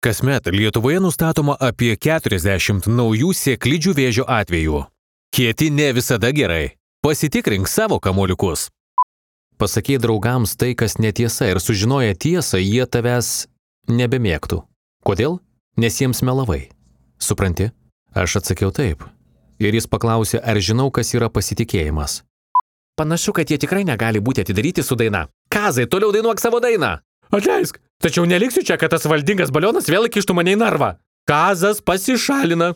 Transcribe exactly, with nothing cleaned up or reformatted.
Kasmet Lietuvoje nustatoma apie keturiasdešimt naujų sėklidžių vėžio atvejų. Kieti ne visada gerai. Pasitikrink savo kamuoliukus. Pasakei draugams tai, kas netiesa, ir sužinoję tiesą, jie tavęs nebemėgtų. Kodėl? Nes jiems melavai. Supranti? Aš atsakiau taip. Ir jis paklausė, ar žinau, kas yra pasitikėjimas. Panašu, kad jie tikrai negali būti atidaryti su daina. Kazai, toliau dainuok savo dainą. Atleisk, tačiau neliksiu čia, kad tas valdingas balionas vėl įkištų mane į narvą. Kazas pasišalina.